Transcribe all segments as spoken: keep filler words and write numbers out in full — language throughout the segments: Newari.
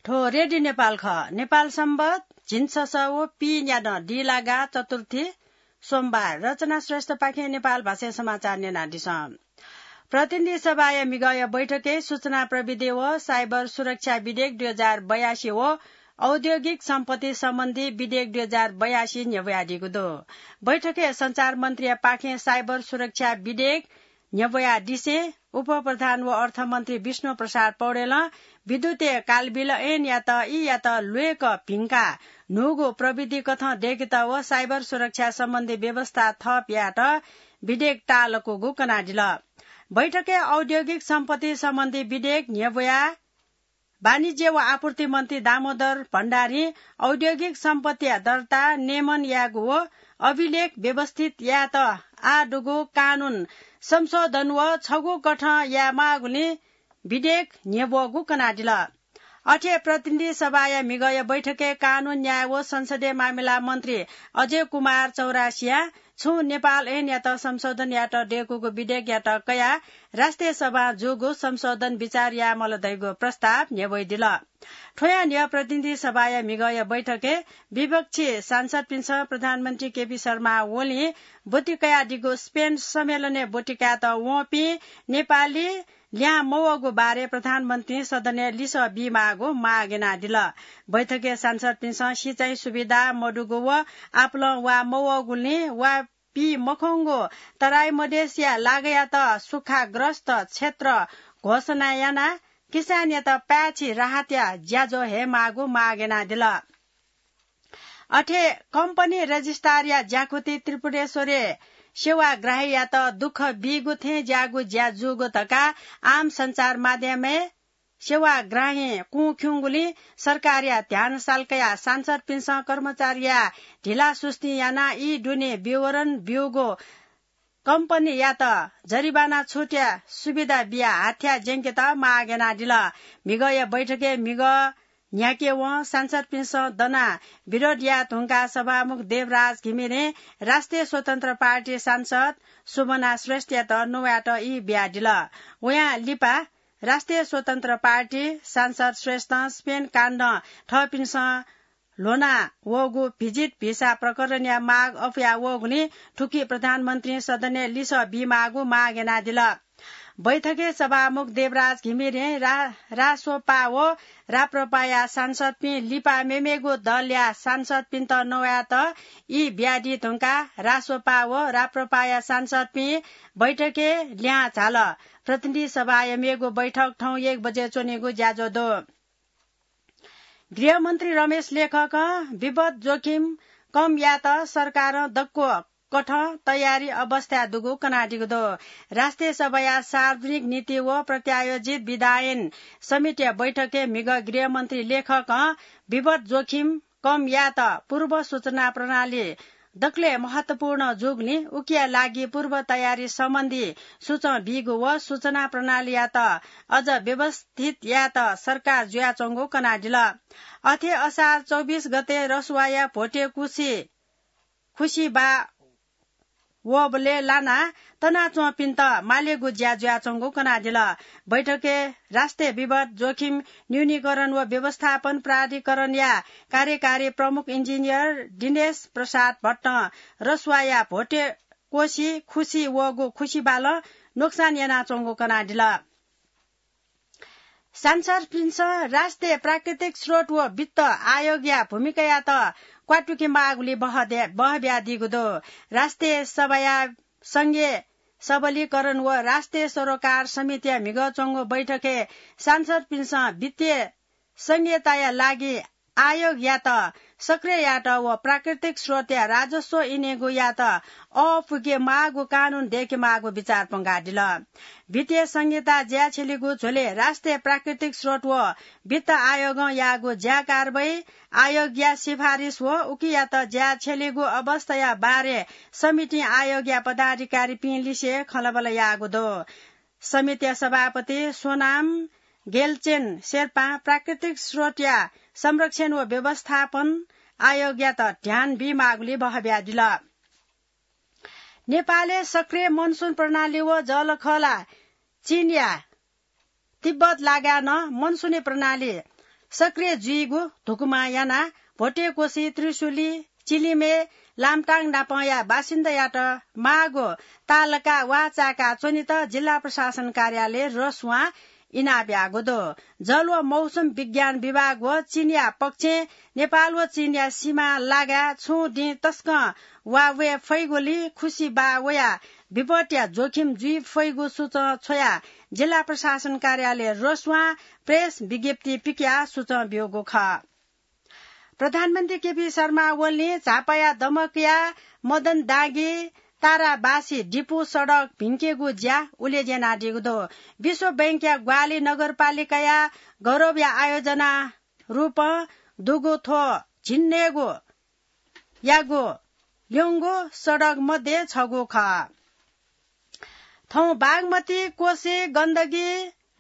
थ्व रेडियो नेपाल खः। नेपाल संवत झिंछसः व पीन्यादँ दिलागा चतुर्थी सोमबार। रचना श्रेष्ठपाखें नेपाल भाषाय् समाचार न्यनादिसँ। प्रतिनिधि सभाया म्हिगःया बैठकय् सूचना प्रविधि व साइबर सुरक्षा विधेयक दुई हजार बयासी व औद्योगिक सम्पत्ति सम्बन्धी विधेयक दुई हजार बयासी न्ह्यब्वयादीगु दु। बैठकय् सञ्चार मन्त्रीया पाखें साइबर सुरक्षा विधेयक न्ह्यब्वयादिसें उपप्रधान व अर्थमन्त्री विष्णु प्रसाद पौडेलं विद्युतय् कालबिल ऐनयात ईयात ल्वय्क भिंकाः न्हूगु प्रविधि कथं दय्केत व साइबर सुरक्षा सम्बन्धी व्यवस्था थप यायेत विधेयक ताःलाकूगु कनादिल। बैठकय् औद्योगिक सम्पत्ति सम्बन्धी विधेयक न्ह्यब्वयाः वाणिज्य व आपूर्ति मन्त्री दामोदर भण्डारीं औद्योगिक सम्पत्तिया दर्ता, नियमन यायेगु व अभिलेख व्यवस्थित यायेत आः दुगु कानून संशोधन व छगू कथं यायेमाःगुलिं विधेयक न्ह्यब्वःगु कनादिल। अथे प्रतिनिधि सभाया म्हिगःया बैठकय् कानून, न्याय व संसदीय मामिला मन्त्री अजय कुमार चौरासियां छुं नेपाल ऐनयात संशोधन यायेत दय्कूगु विधेयकयात कयाः राष्ट्रिय सभां जूगु संशोधन विचार यायेमाल धइगु प्रस्ताव न्ह्यब्वयादिल। थ्वयां न्ह्यः प्रतिनिधि सभाया म्हिगःया बैठकय् विपक्षी सांसदपिन्सं प्रधानमन्त्री केपी शर्मा ओलीं ब्वति कयादीगु स्पेन सम्मेलनय् ब्वति कायेत वंपिं नेपाली ल्याहां मवःगु बारे प्रधानमन्त्रीं सदनय् लिसः बीमाःगु माग यानादिल। बैठकय् सांसदपिन्सं सिँचाइ सुविधा मदुगु व आपालं वा मवःगुलिं वा पी मखंगु तराई मधेसया लागायात सुक्खाग्रस्त क्षेत्र घोषणा यानाः किसानयात पाय्छि राहतया ज्याझ्वः हयेमाःगु माग यानादिल। अथे कम्पनी रजिस्ट्रारया ज्याकुथि त्रिपुरेश्वरय् सेवाग्राहीयात दुःख बीगु थें ज्याःगु ज्या जूगु धकाः आम सञ्चार माध्यमय् सेवाग्राहीं कुँ खिउँगुलिं सरकारया ध्यान साल कयाः सांसदपिन्सं कर्मचारीया ढिलासुस्ती यानाः ई दुने विवरण ब्यूगु कम्पनीयात जरिवाना छुटया सुविधा बियाः हाथ्या ज्यंकेत माग यानादिल। म्हिगःया बैठकय् म्हिगः न्ह्याकेवं सांसदपिन्सं दनाः विरोध याये धुंकाः सभामुख देवराज घिमिरें राष्ट्रिय स्वतन्त्र पार्टी सांसद सुमना श्रेष्ठयात नवायेत ई बियादिल। वयां लिपा राष्ट्रिय स्वतन्त्र पार्टी सांसद श्रेष्ठं स्पेन काण्डं थःपिन्सं ल्ह्वना वःगु भिजिट भिसा प्रकरणया माग अपुया वःगुलिं थुकी प्रधानमन्त्रीं सदनय् लिसः बीमाःगु माग यानादिल। बैठकय् सभामुख देवराज घिमिरें रा-, रासोपा व राप्रपाया सांसदपिं लिपा मेमेगु दलया सांसदपिन्त नवायेत ई बियादी धुंकाः रासोपा व राप्रपाया सांसदपिं बैठकय् लिहां झाल। प्रतिनिधि सभाया मेगु बैठक थौं एक बजे च्वनेगु ज्याझ्वः दु। गृहमन्त्री रमेश लेखकं विपद जोखिम कम यायेत सरकारं दक्व कथं तयारी अवस्थाय् दुगु कनादीगु दु। राष्ट्रिय सभाया सार्वजनिक नीति व प्रत्यायोजित विधायन समितिया बैठकय् म्हिगः गृहमन्त्री लेखकं विपद जोखिम कम यायेत पूर्व सूचना प्रणाली दकलय् महत्वपूर्ण जूगुलिं उकिया लागि पूर्व तयारी सम्बन्धी सुचं बीगु व सूचना प्रणालीयात अझ व्यवस्थित यायेत सरकार जुयाच्वंगु कनादिल। अथे असार चौबिस गते रसुवाया भोटे कुसि खुसिबा वबलय् लानाः तनाच्वंपिन्त मालेगु ज्या जुयाच्वंगु कनादिल। बैठकय् राष्ट्रिय विपद जोखिम न्यूनीकरण व व्यवस्थापन प्राधिकरणया कार्यकारी प्रमुख इन्जिनियर दिनेश प्रसाद भट्टं रसुवाया भोटे कोसि खुसि वःगु खुसिबालं नोक्सान यानाच्वंगु कनादिल। सांसदपिन्सं राष्ट्रिय प्राकृतिक स्रोत व वित्त आयोगया भूमिकायात क्वातुके माःगुलिं बहदे-, बहब्यादीगु दु। राष्ट्रिय सभाया संघीय सबलीकरण व राष्ट्रिय सरोकार समितिया म्हिगः च्वंगु बैठकय् सांसदपिन्सं वित्तीय संघीयताया लागि आयोगयात सक्रिय यायेत व प्राकृतिक स्रोतया राजस्व इनेगु यायेत अःपुके माःगु कानून दय्के माःगु विचार पंगादिल। वित्तीय संघीयता ज्या छ्यलीगु झ्वलय् राष्ट्रिय प्राकृतिक स्रोत व वित्त आयोगं याःगु ज्या कारवाही, आयोगया सिफारिस व उकियात ज्या छ्यलीगु अवस्थाया बारे समितिं आयोगया पदाधिकारीपिं लिसे खँल्हाबल्हा याःगु दु। समितिया सभापति सोनाम गेलचेन शेर्पां प्राकृतिक स्रोतया संरक्षण व व्यवस्थापन आयोगयात ध्यान बीमाःगुलिं बहब्यादिल। नेपालय् सक्रिय मनसुन प्रणाली व जःलाखःला चीनया तिब्बत लागाय् नं मनसुनी प्रणाली सक्रिय जुइगु धुकुमा यानाः भोटेकोसी, त्रिशुली, चिलिमे, लामटाङ नापंया बासिन्दायात माःगु तालका वाः चाय्‌का च्वनेत जिल्ला प्रशासन कार्यालय रसुवां इनाप याःगु दु। जल व मौसम विज्ञान विभाग व चीनया पक्षं नेपाल व चीनया सीमा लागाय् छुं दिं तसकं वाः वये फइगुलिं खुसि बाः वयाः विपत्तिया जोखिम जुइ फइगु सूचं छ्वयाः जिल्ला प्रशासन कार्यालय रसुवां प्रेस विज्ञप्ति पिकयाः सूचं ब्यूगु खः। प्रधानमन्त्री केपी शर्मा ओलीं झापाया दमकया मदन दागी ताराबासी डिपु सडक भिंकेगु ज्या उलेज्यानादीगु दु। विश्व बैंकया ग्वाहालि नगरपालिकाया गौरवया आयोजना रूपं दुगु थ्व झिंन्हय्‌गु यागु ल्यंगु सडक मध्ये छगू खः। थौं बागमती, कोशी, गण्डकी,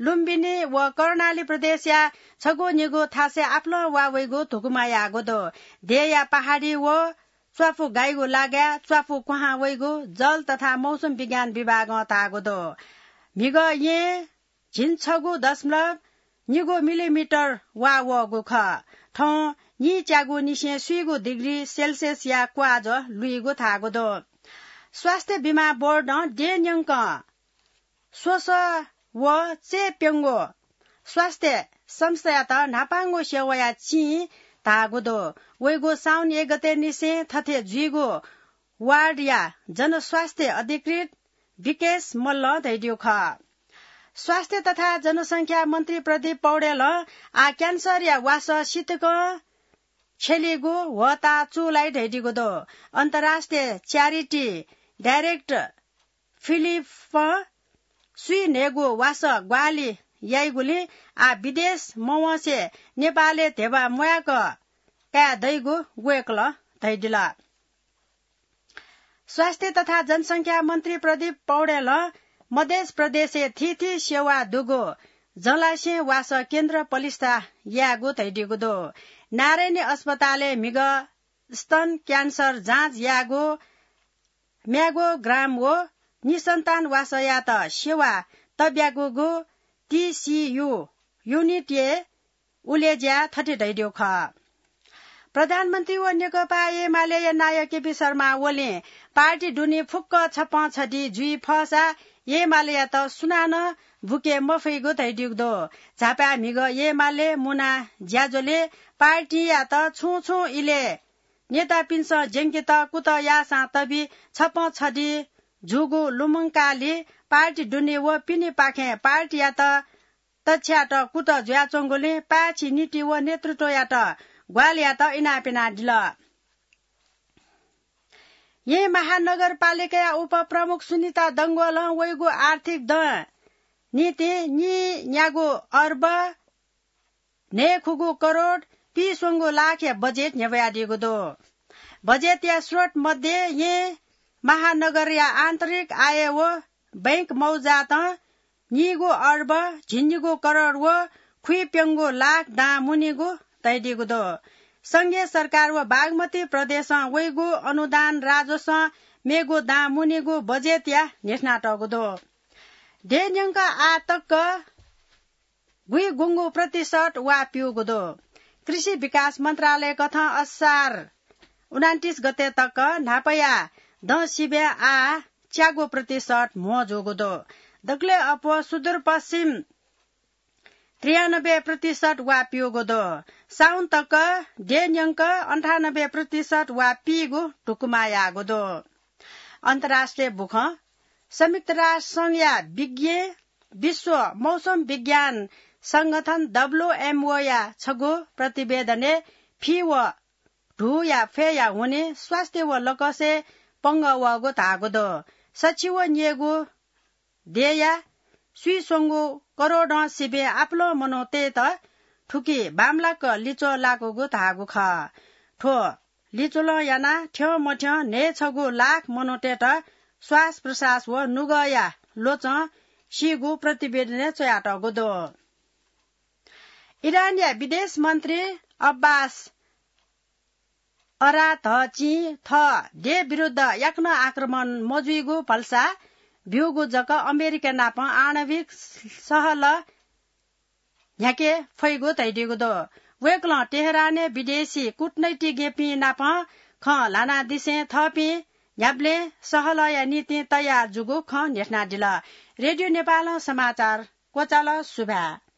लुम्बिनी व कर्णाली प्रदेशया छगू निगू थासय् आपालं वाः वइगु धुकुमा याःगु दु। देय्‌या पहाडी व च्वापु गाइगु लागाय् च्वापु क्वहां वइगु जल तथा मौसम विज्ञान विभागं धाःगु दु। म्हिगः यें झिंछगू दशमलव निगू मिलिमिटर वाः वःगु खः। थौं नीच्यागुनिसें स्वीगू डिग्री सेल्सियसया क्वाःझ्वः लुइगु धाःगु दु। स्वास्थ्य बिमा बोर्डं देय्‌न्यंकं स्वसः व चय्‌प्यंगू स्वास्थ्य संस्थायात न्हापांगु सेवाया चिं धाःगु दु। वइगु साउन एक गते निसें थथे जुइगु वार्डया जनस्वास्थ्य अधिकृत विकेश मल्लं धयादीगु खः। स्वास्थ्य तथा जनसंख्या मन्त्री प्रदीप पौडेलं आः क्यान्सरया वासः सितिकं छ्यलीगु ह्वःताः चूलाइ धयादीगु दु। अन्तर्राष्ट्रिय च्यारिटी डाइरेक्टर फिलिपं स्वीन्हय्‌गु वासः ग्वाहालि याइगुलिं आः विदेश मवंसे नेपालय् धेबा म्वायेक काये दइगु वय्‌कलं धयादिल। स्वास्थ्य तथा जनसंख्या मन्त्री प्रदीप पौडेलं मधेस प्रदेशय् थीथी सेवा दुगु जलाशयं वासः केन्द्र पलिस्था यायेगु धयादीगु दु। नारायणी अस्पतालय् म्हिगः स्तन क्यान्सर जाँच यायेगु म्यागोग्राम व निसन्तान वासःयात सेवा तब्यागूगु टीसीयू युनिटय् उलेज्याय् थथे धयादीगु खः। प्रधानमन्त्री व नेकपा एमालेया नायः केपी शर्मा ओलीं पार्टी दुने फुक्क छप्पँ छधि जुइ फःसा एमालेयात सुनानं बुके मफइगु धयादीगु दु। झापाय् म्हिगः एमाले मुना ज्याझ्वलय् पार्टीयात छुं छुं इलय् नेतापिन्सं ज्यंकेत कुतः याःसां तबि छप्पँ छधि जूगु लुमंकालि पार्टी दुने व पिनेपाखें पार्टीयात तछ्यायेत कुतः जुयाच्वंगुलिं पाय्‌छि नीति व नेतृत्वयात ग्वाहालि यायेत इनाप यानादिल। येँ महानगरपालिकाया उपप्रमुख सुनिता डंगोलं वइगु आर्थिक दँ निंतिं नीन्यागू अर्ब न्हय्‌खुगू करोड पीस्वंगू लाखया बजेट न्ह्यब्वयादीगु दु। बजेटया स्रोत मध्ये येँ महानगरया आन्तरिक आय व बैंक मौजातं नीगू अर्ब झिंनिगू करोड व खुइप्यंगू लाख दां मुनीगु तयादीगु दु। संघीय सरकार व बागमती प्रदेशं वइगु अनुदान राजस्वं मेगु दां मुनीगु बजेटया न्ह्यथनातःगु दु। देय्‌न्यंक आः तक गुइगुंगू प्रतिशत वा प्यूगु दु। कृषि विकास मन्त्रालय कथं असार उनान्तिस गते तक न्हापाया दँ सिबें आः च्यागू प्रतिशत म्हो जूगु दु। दकलय् अप्वः सुदूरपश्चिम त्रियानब्बे प्रतिशत वा प्यूगु दु। साउन तक देय्‌न्यंक अन्ठानब्बे प्रतिशत वा पीगु धुकुमा याःगु दु। अन्तर्राष्ट्रिय बुखँ। संयुक्त राष्ट्र संघया विज्ञ विश्व मौसम विज्ञान संगठन डब्ल्यूएमओया छगू प्रतिवेदनय् फि व धूया फय्‌या हुनिं स्वास्थ्य व लकसय् पंगः वःगु धाःगु दु। सछि व न्यय्‌गू देय्‌या स्वीस्वंगू करोडं सिबें आपालं मनूतय्‌त थुकी बांमलाक लिच्वः लाकूगु धाःगु खः। थ्व लिच्वलं यानाः थ्यंमथ्यं न्हय्‌छगू लाख मनूतय्‌त श्वास प्रश्वास व नुगःया ल्वचं सीगु प्रतिवेदनय् च्वयातःगु दु। इरानया विदेश मन्त्री अब्बास अराघचिं थः देय् विरुद्ध याकनं आक्रमण मजुइगु भलसा ब्यूगु जक अमेरिका नाप आणविक सहलह न्ह्याके फइगु धयादीगु दु। वय्कलं तेहरानय् विदेशी कूटनैतिज्ञपिं नाप खँ ल्हानादिसें थःपिं न्ह्याबलें सहलहया निंतिं तयार जूगु खँ न्ह्यथनादिल। रेडियो नेपालं समाचार क्वचाल। सुभाय्।